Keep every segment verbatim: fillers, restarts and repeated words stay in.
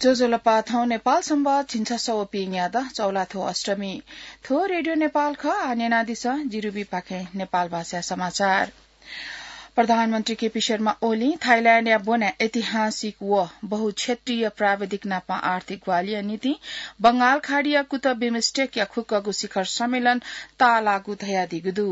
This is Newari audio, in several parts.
ज्वजलपा, थौं नेपाल संवत् झिंछसः व पीन्यादँ चौलाथ्व अष्टमी। थ्व रेडियो नेपाल खः। आः न्यनादिसँ जिरुबीपाखें नेपाल भाषा समाचार। प्रधानमन्त्री केपी शर्मा ओलीं थाइल्याण्डया ब्वना ऐतिहासिक व बहुक्षेत्रीय प्राविधिक नापं आर्थिक ग्वाहालिया निंतिं बंगाल खाडीया कुतः बिमस्टेकया खुक्कगु शिखर सम्मेलन ताःलाःगु धयादीगु दु।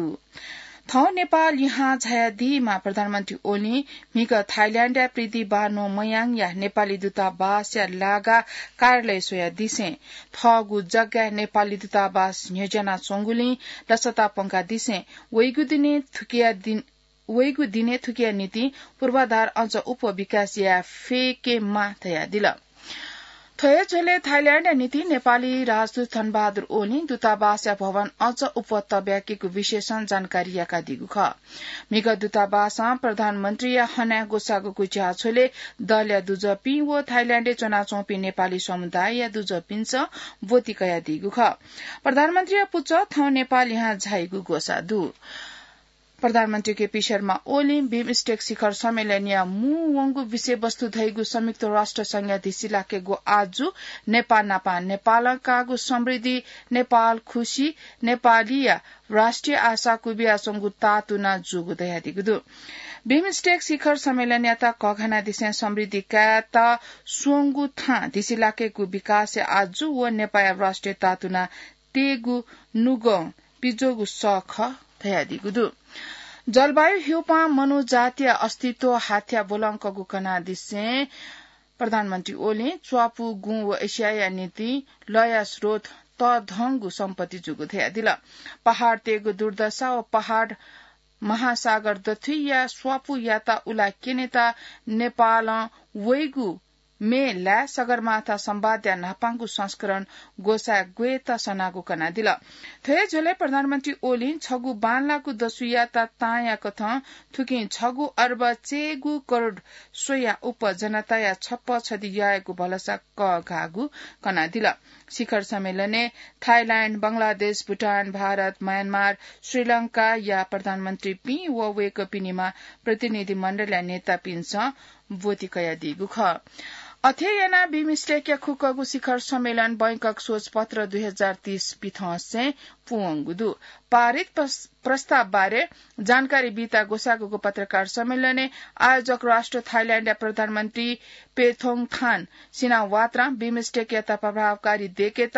थौं नेपाल लिहां झायादीम्ह प्रधानमन्त्री ओलीं म्हिगः थाइल्याण्डया प्रिदि बानो मयाङया नेपाली दूतावासया लागा कार्यालय स्वयादिसें थःगु जग्गाय् नेपाली दूतावास न्ह्यज्यानाच्वंगुलिं लसता प्वंकादिसें वइगु दिने थुकिया दिन, वइगु दिने थुकिया निंतिं पूर्वाधार अझ अप्वः विकास याये फय्केमाः धयादिल। थ्व हे झ्वलय् थाइल्याण्डया निंतिं नेपाली राजदूत धनबहादुर ओलीं दूतावासया भवन अझ अप्वः तब्याकेगु विषयसं जानकारी याकादीगु खः। म्हिगः दूतावासं प्रधानमन्त्रीया हनाय् ग्वसाःगु ज्याझ्वलय् दलया दुजःपिं व थाइल्याण्डय् च्वनाच्वंपिं नेपाली समुदायया दुजःपिन्सं ब्वति कयादीगु खः। प्रधानमन्त्रीया पुचः थौं नेपाल लिहां झाइगु ग्वसाः दु। प्रधानमन्त्री केपी शर्मा ओलीं बिमस्टेक शिखर सम्मेलनया मू वंगु विषयवस्तु धइगु संयुक्त राष्ट्र संघया धिसिलाकेगु आजु नेपाः नापं नेपालं काःगु समृद्धि, नेपाल खुसी, नेपालीया राष्ट्रिय आशा क्वबियाच्वंगु ताःतुना जूगु धयादीगु दु। बिमस्टेक शिखर सम्मेलनयात कःघानादिसें समृद्धि कायेत स्वंगु थां धिसिलाकेगु विकासया आजु व नेपाःया राष्ट्रिय ताःतुना तयेगु नुगः पिज्वःगु सः खः धयादीगु दु। जलवायु ह्यूपां मनू जातिया अस्तित्व हाथ्या ब्वलंकःगु कनादिसें प्रधानमन्त्री ओलीं च्वापु, गुँ व एसियाया निंतिं लःया स्रोत तःधंगु सम्पत्ति जूगु धयादिल। पहाडतय्गु दुर्दशा व पहाड महासागर दथुइया स्वापू याता उला क्यनेत नेपालं वइगु मे लाय् सगरमाथा संवादया न्हापांगु संस्करण ग्वसाय् ग्वयेत सनागु कनादिल। थ्व हे झ्वलय् प्रधानमन्त्री ओलीं छगू बांलाःगु दसुयात तांया कथं थुकिं छगू अर्ब चय्गू करोड स्वया उप जनताया छप्पँ छधि यायेगु भलसा कःघाःगु कनादिल। शिखर सम्मेलनय् थाइल्याण्ड, बंगलादेश, भुटान, भारत, म्यानमार, श्रीलंकाया प्रधानमन्त्रीपिं व वय्कःपिनिमा प्रतिनिधि मण्डलया नेतापिन्सं ब्वति कयादीगु खः। अथे यानाः बिमस्टेकया खुक्कगु शिखर सम्मेलन बैंकक सोच पत्र दुई हजार तीस पिथंसें पूवंगु दु। पारित प्रस-, प्रस्ताव बारे जानकारी बीत ग्वसाःगु पत्रकार सम्मेलनय् आयोजक राष्ट्र थाइल्याण्डया प्रधानमन्त्री पेथोङथान सिनावात्रां बिमस्टेकयात प्रभावकारी दयेकेत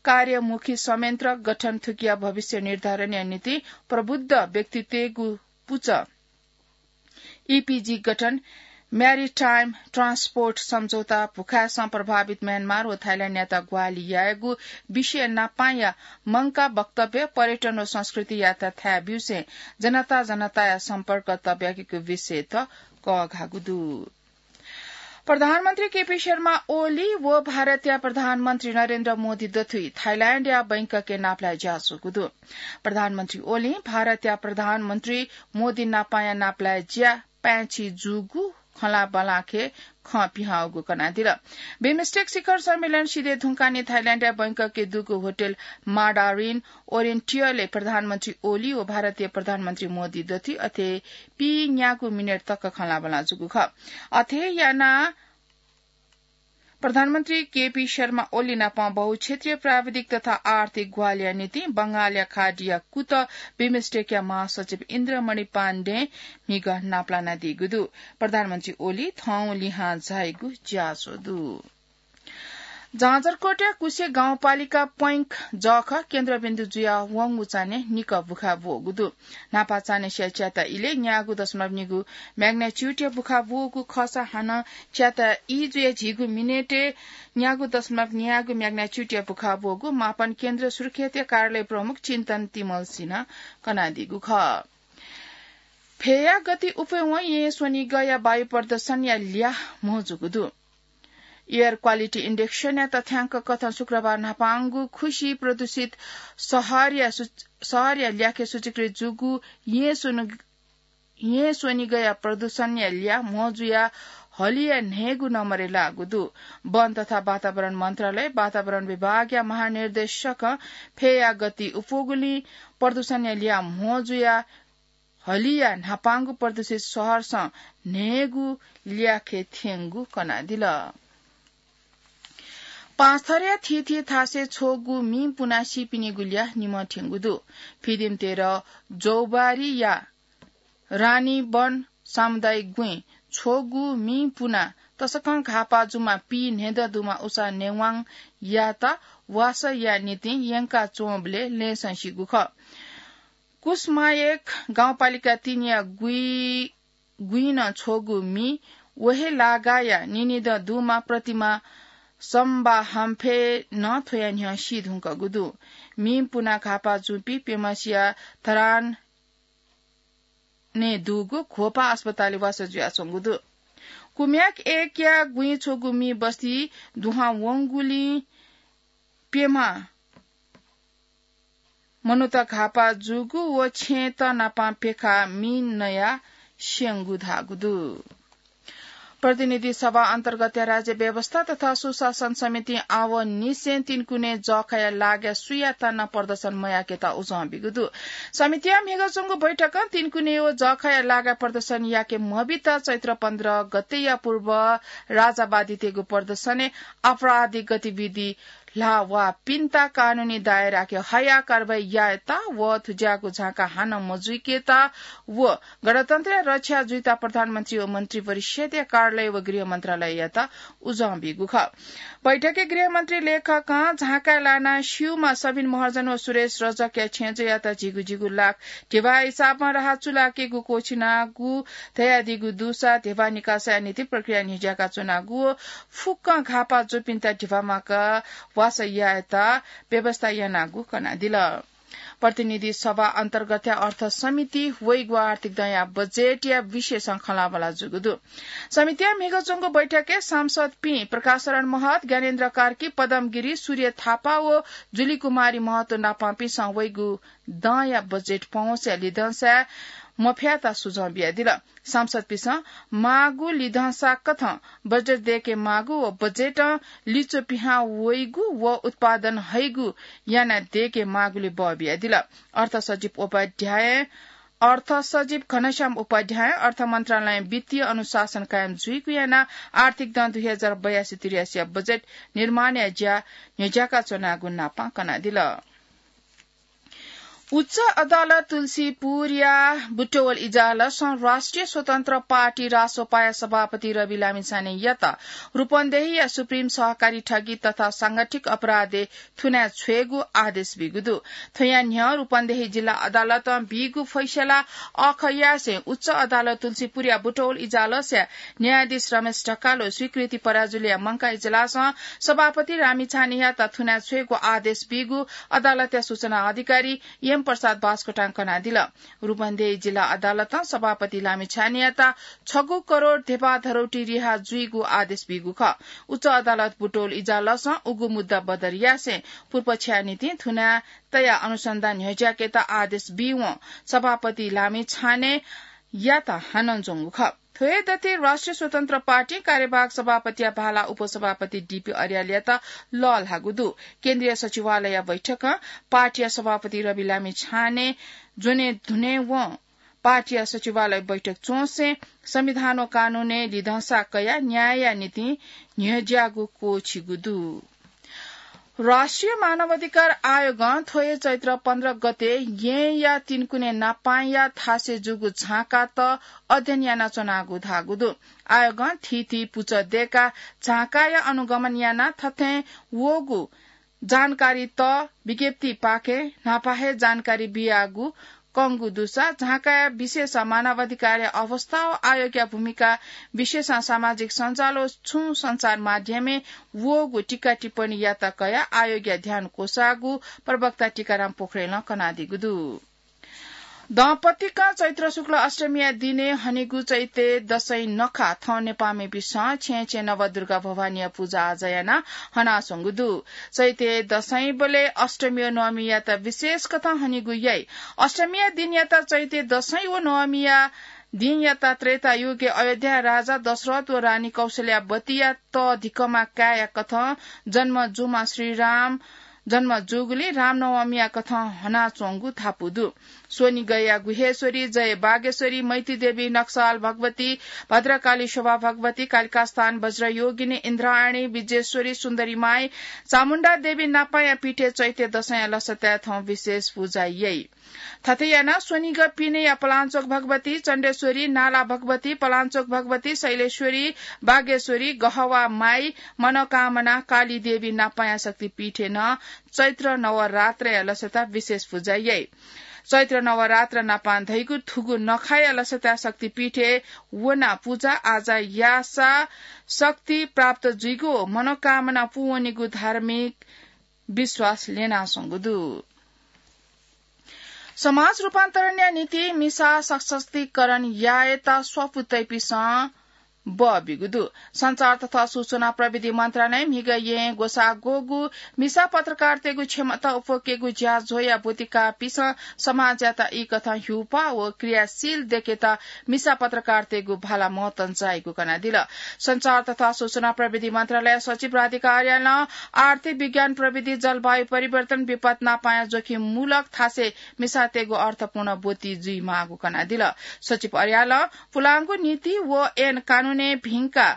कार्यमुखी संयन्त्र गठन थुकिया भविष्य निर्धारणया निंतिं प्रबुद्ध व्यक्तित्वय्गु पुचः ईपीजी गठन, Maritime Transport सम्झौता भुखाय्सं प्रभावित म्यानमार व थाइल्याण्डयात ग्वाहालि यायेगु विषय नापांया मंकाः वक्तव्य, पर्यटन व संस्कृतियात थाय् ब्यूसें जनता जनताया सम्पर्क तब्याकेगु विषयत कःघाःगु दु। प्रधानमन्त्री केपी शर्मा ओली व भारतया प्रधानमन्त्री नरेन्द्र मोदी दथुइ थाइल्याण्डया बैंककय् नापलाये ज्याःच्वंगु दु। प्रधानमन्त्री ओलीं भारतया प्रधानमन्त्री मोदी नापांया नापलाये ज्या पाय्छि जूगु खँल्हाबल्हाखे खँ पिहांगु कनादिल। बिमस्टेक शिखर सम्मेलन सिधये धुंकाः नि थाइल्याण्डया बैंककय् दुगु होटल माडारिन ओरिएन्टियलय् प्रधानमन्त्री ओली व भारतीय प्रधानमन्त्री मोदी दथुइ अथे पीन्यागू मिनेट तक खँल्हाबल्हां जूगु खः। अथे यानाः प्रधानमन्त्री केपी शर्मा ओली नाप बहुक्षेत्रीय प्राविधिक तथा आर्थिक ग्वाहालिया निंतिं बंगालया खाडीया कुतः बिमस्टेकया महासचिव इन्द्रमणि पाण्डें म्हिगः नापलानादीगु दु। प्रधानमन्त्री ओली थौं लिहां झाइगु ज्याझ्वः दु। जाजरकोटया कुसे गाउँपालिका पैंख जःखः केन्द्रबिन्दु जुयाः वंगु चान्हय् निकः भुखाय् ब्वःगु दु। न्हापा चान्हय् स्याये च्याता इलय् न्यागू दशमलव निगू magnitude-या भुखाय् ब्वःगु खःसा हानं च्याता ई जुया झिगू मिनेटय् न्यागू दशमलव न्यागू magnitude-या भुखाय् ब्वःगु मापन केन्द्र सुर्खेतया कार्यालय प्रमुख चिन्तन तिमल्सिनं कनादीगु खः। फय्या गति अप्वय्वं येँ स्वनिगःया वायु प्रदूषणया ल्याः म्हो जूगु दु। Air Quality Index-या तथ्यांक कथं शुक्रबार न्हापांगु खुसि प्रदूषित शहरया सु-, शहरया ल्याखय् सूचीकृत जूगु येँ स्वनि-, येँ स्वनिगःया प्रदूषणया ल्याः म्हो जुयाः हलिया न्हय्गू नम्बरय् लाःगु दु। वन तथा वातावरण मन्त्रालय, वातावरण विभागया महानिर्देशकं फय्या गति अप्वःगुलिं प्रदूषणया ल्याः म्हो जुयाः हलिया न्हापांगु प्रदूषित शहरसं न्हय्गू ल्याखय् थ्यंगु कनादिल। पाँचथरया थीथी थासय् छगू मि पुना सीपिनिगु ल्याः निम्ह थ्यंगु दु। फिदिम तेह्र जौबारीया रानीवन सामुदायिक गुँइ छगू मि पुना तसकं घाःपाः जूम्ह पीन्हय्दँ दुम्ह उषा नेवाङयात वासःया निंतिं यंका च्वंबलय् लँय् संसिगु खः। कुसमायेक गाउँपालिका तीनया गुँइ गुँइ नं छगू मि व हे लागाया निन्हय्दँ दुम्ह प्रतिमा सम्बाहाम्फे नं थ्वया न्ह्यः सी धुंकूगु दु। मि पुना घाःपाः जूपिं प्यम्हसिया धरानय् दुगु घोपा अस्पतालय् वासः जुयाच्वंगु दु। कुम्याक एकया गुँइ छगू मि बस्ती दुहां वंगुलिं प्यम्ह मनूत घाःपाः जूगु व छेँत नापं प्यखाः मि नयाः स्यंगु धाःगु दु। प्रतिनिधि सभा अन्तर्गतया राज्य व्यवस्था तथा सुशासन समितिं आवंनिसें तीनकुने जःखाया लागाय् सुयातं नं प्रदर्शन मयाकेत उजं बीगु दु। समितिया म्हिगः च्वंगु बैठकं तीनकुने व जःखाया लागाय् प्रदर्शन याके मबित चैत्र पन्ध्र गतेया पूर्व राजावादीतय्गु प्रदर्शनय् आपराधिक गतिविधि ल्हाः वःपिन्त कानूनी दायराय् हयाः कारवाही यायेत व थुज्याःगु झांका हानं मजुइकेत व गणतन्त्रया रक्षा जुइत प्रधानमन्त्री व मन्त्रिपरिषदया कार्यालय व गृह मन्त्रालययात उजं बीगु खः। बैठकय् गृहमन्त्री लेखकं झांकाय् लानाः स्यूम्ह सबिन महर्जन व सुरेश रजकया छेँजःयात झिगू झिगू लाख धिबा हिसाबं राहत चूलाकेगु क्वःछिनागु धयादीगु दुसा धिबा निकासाया निंतिं प्रक्रिया न्ह्यज्याका च्वनागु व फुक्कं घाःपाः जूपिन्त धिबा माकाः वासः यायेत व्यवस्था यानागु कनादिल। प्रतिनिधि सभा अन्तर्गतया अर्थ समिति वइगु आर्थिक दँया बजेटया विषयसं खँल्हाबल्हा जूगु दु। समितिया म्हिगः च्वंगु बैठकय् सांसदपिं प्रकाश शरण महत, ज्ञानेन्द्र कार्की, पदम गिरी, सूर्य थापा व जुली कुमारी महतो नापंपिन्सं वइगु दँया बजेट पहुँचया लिधंसाय् मफयात सुझाव बियादिल। सांसदपिन्सं माःगु लिधंसा कथं बजेट दय्के माःगु व बजेटं लिच्वः पिहां वइगु व उत्पादन हइगु याना दय्के माःगुलि बः बियादिल। अर्थ सचिव उपाध्याय, अर्थ सचिव घनश्याम उपाध्याय अर्थ मन्त्रालयं वित्तीय अनुशासन कायम जुइगु यानाः आर्थिक दँ दुई हजार बयासी त्रियासीया बजेट निर्माणया ज्या न्ह्यज्याका च्वनागु नापं कनादिल। उच्च अदालत तुलसीपुरया बुटवल इजालसं राष्ट्रिय स्वतन्त्र पार्टी रासोपाया सभापति रवि लामिछानेयात रूपन्देहीया सुप्रिम सहकारी ठगी तथा सांगठिक अपराधय् थुनाय् छ्वयेगु आदेश बीगु दु। थ्वया न्ह्यः रूपन्देही जिल्ला अदालतं बीगु फैसला अःखयासें उच्च अदालत तुलसीपुरया बुटवल इजालसया न्यायाधीश रमेश ढकाल व स्वीकृति पराजुलीया मंकाः इजलासं सभापति लामिछानेयात थुनाय् छ्वयेगु आदेश बीगु अदालतया सूचना अधिकारी एम प्रसाद बास्कोटां कनादिल। रूपन्देही जिल्ला अदालतं सभापति लामिछानेयात छगू करोड धेबा धरौटी रिहा जुइगु आदेश बीगु खः। उच्च अदालत बुटवल इजालसं उगु मुद्दा बदर यासें पुर्पछ्या निंतिं थुनाय् तयाः अनुसन्धान न्ह्यज्याकेत आदेश बीवं सभापति लामिछानेयात हानं ज्वंगु खः। थ्व हे दथुइ राष्ट्रिय स्वतन्त्र पार्टी कार्यवाहक सभापतिया भाला उपसभापति डीपी अर्यालयात लःल्हाःगु दु। केन्द्रीय सचिवालयया बैठकं पार्टीया सभापति रवि लामिछाने ज्वने धुनेवं पार्टीया सचिवालय बैठक च्वंसें संविधान व कानूनय् लिधंसा कयाः न्यायया निंतिं न्ह्यज्याःगु क्वःछिगु दु। राष्ट्रिय मानवाधिकार आयोगं थ्व हे चैत्र पन्ध्र गते येँया तीनकुने नापांया थासय् जूगु झांकात अध्ययन यानाच्वनागु धाःगु दु। आयोगं थीथी पुचः दय्काः झांकाया अनुगमन यानाः थथें वःगु जानकारीत विज्ञप्तिपाखें न्हापा हे जानकारी बियागु कंगु दुसा झांकाया विशेष मानवाधिकारया अवस्था व आयोगया भूमिका विशेषं सामाजिक सञ्जाल व छुं सञ्चार माध्यमय् वःगु टीका टिप्पणीयात कयाः आयोगया ध्यान क्वसाःगु प्रवक्ता टीकाराम पोखरेलं कनादीगु दु। दँपतिकं चैत्र शुक्ल अष्टमीया दिनय् हनीगु चैते दशैं नखः थौं नेपाःमिपिन्सं छेँय् छेँय् नवदुर्गा भवानीया पुजा आजा यानाः हनाच्वंगु दु। चैते दशैंबलय् अष्टमी व नवमीयात विशेष कथं हनीगु याइ। अष्टमीया दिनयात चैते दशैं व नवमीया दिनयात त्रेतायुगय् अयोध्याया राजा दशरथ व रानी कौशल्यावतीया तःधिकःम्ह काय्‌या कथं जन्म जूम्ह श्रीराम जन्म जूगुलिं रामनवमीया कथं हनाच्वंगु धापू दु। स्वनिगःया गुह्येश्वरी, जय बागेश्वरी, मैतीदेवी नक्साल भगवती, भद्रकाली शोभा भगवती, कालिकास्थान वज्रयोगिनी, इन्द्रायणी, विजेश्वरी, सुन्दरी माई, चामुण्डा देवी नापाया पीठय् चैत्य दशैंया लसताय् थौं विशेष पूजा याइ। थथे यानाः स्वनिगः पिनेया पलाञ्चोक भगवती, चण्डेश्वरी, नाला भगवती, पलाञ्चोक भगवती, शैलेश्वरी, बागेश्वरी, गहवा माई, मनोकामना, काली देवी नापाया शक्तिपीठय् नं चैत्र नवरात्रया लसता विशेष पूजा याइ। चैत्र नवरात्र नापां धइगु थुगु नखाया लसता शक्तिपीठय् वनाः पूजा आजा याःसा शक्ति प्राप्त जुइगु, मनोकामना पूवनीगु धार्मिक विश्वास ल्यनाच्वंगु दु। समाज रूपान्तरणया निंतिं मिसा सशक्तिकरण यायेत स्वापू तइपिन्सं बः बीगु दु। सञ्चार तथा सूचना प्रविधि मन्त्रालयं म्हिगः येँ ग्वसाः ग्वःगु मिसा पत्रकारतय्गु क्षमता उप्वकेगु ज्याझ्वःया ब्वति काःपिन्सं समाजयात ई कथं ह्यूपाः व क्रियाशील दयेकेत मिसा पत्रकारतय्गु भाला महत्वं जाइगु कनादिल। सञ्चार तथा सूचना प्रविधि मन्त्रालय सचिव राधिका अर्यालं आर्थिक विज्ञान प्रविधि, जलवायु परिवर्तन, विपद नापाया जोखिममूलक थासय् मिसातय्गु अर्थपूर्ण ब्वति जुइमाःगु कनादिल। सचिव अर्यालं पुलांगु नीति व ऐन कानूनय् भिंका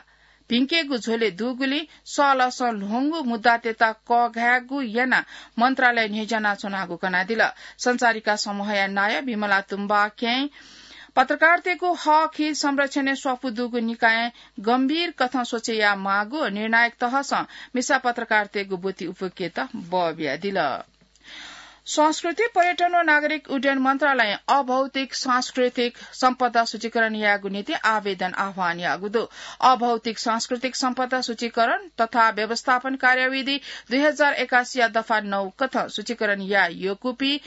भिंकेगु झ्वलय् दुगुलिं सःलसं ल्ह्वंगु मुद्दातय्त कःघायेगु यानाः मन्त्रालय न्ह्यज्यानाच्वनागु कनादिल। सञ्चारिका समूहया नायः विमला तुम्बाखें पत्रकारतय्गु हक हित संरक्षणय् स्वापू दुगु निकायं गम्भीर कथं स्वछे यायेमाःगु, निर्णायक तहसं मिसा पत्रकारतय्गु ब्वति उप्वकेत बः बियादिल। संस्कृति, पर्यटन व नागरिक उड्डयन मन्त्रालयं अभौतिक सांस्कृतिक सम्पदा सूचीकरण यायेगु निंतिं आवेदन आह्वान याःगु दु। अभौतिक सांस्कृतिक सम्पदा सूचीकरण तथा व्यवस्थापन कार्यविधि दुई हजार एकासीया दफा नौ कथं सूचीकरण याये यःकूपिं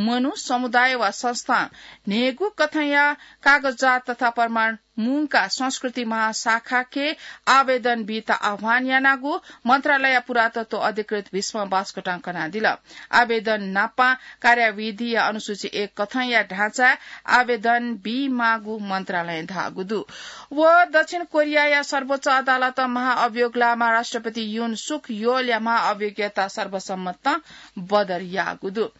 मनू, समुदाय वा संस्थां न्हय्गू कथंया कागजात तथा प्रमाण मुंकाः संस्कृति महाशाखाके आवेदन बीत आह्वान यानागु मन्त्रालयया पुरातत्व अधिकृत भीष्म बास्कोटां कनादिल। आवेदन नापं कार्यविधिया अनुसूची एक कथंया ढाँचाय् आवेदन बीमाःगु मन्त्रालयं धाःगु दु। व दक्षिण कोरियाया सर्वोच्च अदालतं महाअभियोगलामा राष्ट्रपति युन सुक योलया महाअभियोगयात सर्वसम्मतं बदर याःगु दु।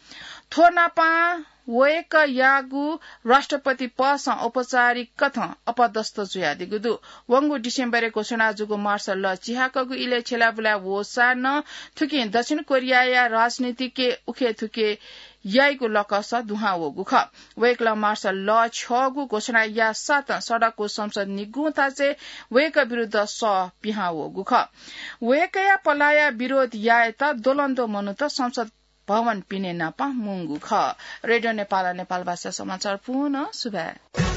थ्व नापं वय्कःयागु राष्ट्रपति पदसं औपचारिक कथं अपदस्थ जुयादीगु दु। वंगु डिसेम्बरय् घोषणा जूगु मार्शल ल चिहाकःगु इलय् छ्यलाबुलाय् वःसां नं थुकिं दक्षिण कोरियाया राजनीतिके उखेथुखे याइगु लकस दुहां वःगु खः। वय्कलं मार्शल ल छ्यःगु घोषणा याःसां नं सडकको संसद निगूं थासय् वय्कः विरुद्ध सः पिहां वःगु खः। वय्कःया पलाःया विरोध यायेत द्वलंद्वः मनूत संसद भवन पिने नापं मुंगु खः। रेडियो नेपालं नेपालभाषा समाचार पूवं सुभाय्।